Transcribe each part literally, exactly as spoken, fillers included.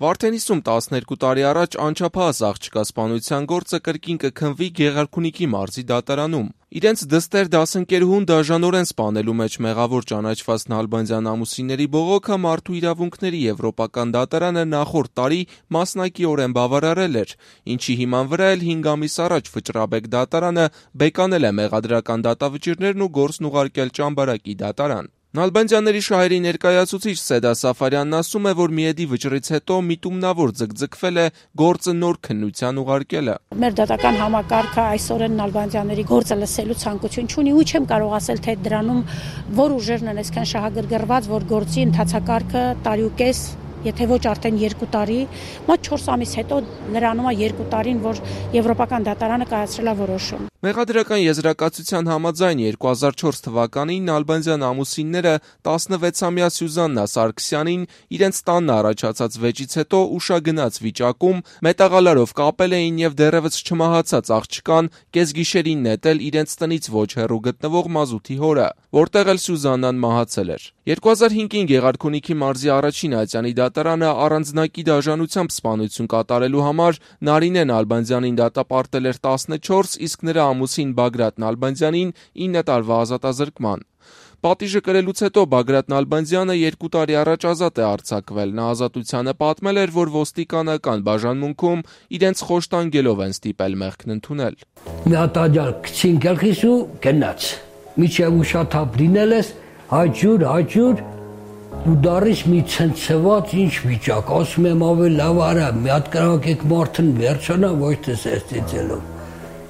Վարդենիսում տասներկու տարի առաջ անչափահաս աղջկա սպանության գործը կրկին կքննվի Գեղարքունիքի մարզի դատարանում։ Իրենց դստեր դասընկերուհուն դաժանորեն սպանելու մեջ մեղավոր ճանաչված Նալբանդյան ամուսինների բողոքը Մարդու իրավունքների եվրոպական դատարանը նախորդ տարի մասնակիորեն բավարարել էր, ինչի հիման վրա էլ հինգ ամիս առաջ Վճռաբեկ դատարանը բեկանել է մեղադրական դատավճիռներն ու գործն ուղարկել Ճամբարակի դատարան։ Նալբանդյանների շահերի ներկայացուցիչ Սեդա Սաֆարյանն ասում է, որ Միեդի վճռից հետո միտումնավոր ձգձգվել է գործը նոր քննության ուղարկելը։ Մեր դատական համակարգը այսօրեն Նալբանդյանների գործը լսելու ցանկություն չունի ու չեմ կարող ասել, թե դրանում որ ուժերն են այսքան շահագրգռված, որ գործի ընթացակարգը տարի ու կես, եթե ոչ արդեն երկու տարի, մոտ չորս ամիս հետո լրանում է երկու տարին, որ Եվրոպական դատարանը կայացրել է որոշում։ Մեղադրական եզրակացության համաձայն երկու հազար չորս թվականին Նալբանդյան ամուսինները տասնվեցամյա Սյուզաննա Սարգսյանին իրենց տանն առաջացած վեճից հետո ուշագնաց վիճակում մետաղալարով կապել էին եւ դեռևս չմահացած աղջկան կեսգիշերին նետել իրենց տնից ոչ հեռու գտնվող մազութի հորը, որտեղ էլ Սյուզաննան մահացել էր։ երկու հազար հինգին Գեղարքունիքի մարզի առաջին ատյանի դատարանը առանձնակի դաժանությամբ սպանություն կատարելու համար Նարինե Նալբանդյանին դատապարտել էր տասնչորս, իսկ նրա ամուսին Բագրատ Նալբանդյանին ինը տարվա ազատազրկման։ Պատիժը կրելուց հետո Բագրատ Նալբանդյանը երկու տարի առաջ ազատ է արձակվել։ Նա ազատությանը պատմել էր, որ ոստիկանական բաժանմունքում իրենց խոշտանգելով են ստիպել մեղքն ընդունել։ Մի հատ աջալ քցին գլխիս ու գնաց։ Միջև ուշաթափ լինել ես, հաջուր, հաջուր ու դարից մի ցնցված ինչ վիճակ, ասում եմ ավելի լավ արա, մի հատ կրակեք մարդն վերջանա, ոչ թե սեստիցելով։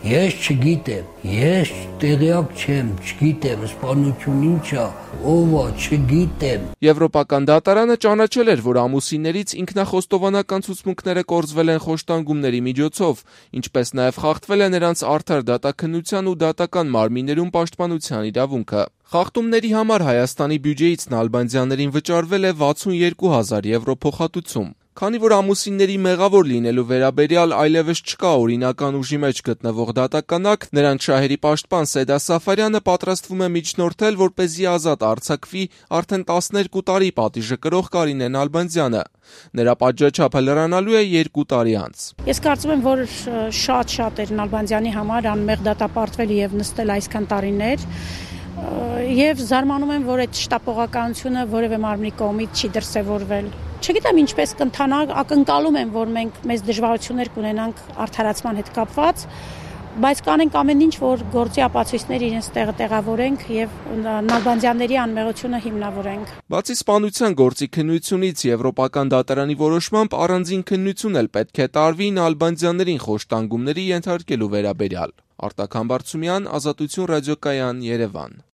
Ես չգիտեմ, ես տեղյակ չեմ, չգիտեմ, սպանություն ինչ է, ով է, չգիտեմ։ Եվրոպական դատարանը ճանաչել էր, որ ամուսիններից ինքնախոստովանական ցուցմունքները կորզվել են խոշտանգումների միջոցով, ինչպես նաև խախտվել է նրանց արդար դատաքննության ու դատական մարմիններում պաշտպանության իրավունքը։ Խախտումների համար Հայաստանի բյուջեից Նալբանդյաններին վճարվել է վաթսունյոթ հազար եվրո փոխհատուցում։ Քանի որ ամուսինների մեղավոր լինելու վերաբերյալ այլևս չկա օրինական ուժի մեջ գտնվող դատականակ, նրանց շահերի պաշտպան Սեդա Սաֆարյանը պատրաստվում է միջնորդել, որպեսզի ազատ արձակվի արդեն տասներկու տարի պատիժը կրող Կարինե Նալբանդյանը։ Նրա պատժաչափը լրանալու է երկու տարի անց։ Ես կարծում եմ, որ շատ-շատ էր Նալբանդյանի համար անմեղ դատապարտվել եւ նստել այսքան տարիներ։ Եվ զարմանում եմ, որ այդ շտապողականությունը որևէ մարմնի կողմից չի դրսևորվել։ Չգիտեմ ինչպես կընթանա, ակնկալում եմ, որ մենք մեծ դժվարություններ կունենանք արդարացման հետ կապված, բայց կանենք ամեն ինչ, որ գործի ապացույցներ իրենց տեղը տեղավորենք եւ Նալբանդյանների անմեղությունը հիմնավորենք։ Բացի սպանության գործի քննությունից Եվրոպական դատարանի որոշմամբ առանձին քննություն էլ պետք է տարվի Նալբանդյաններին խոշտանգումների ենթարկելու վերաբերյալ։ Արտակ Համբարձումյան, Ազատություն ռադիոկայան, Երևան։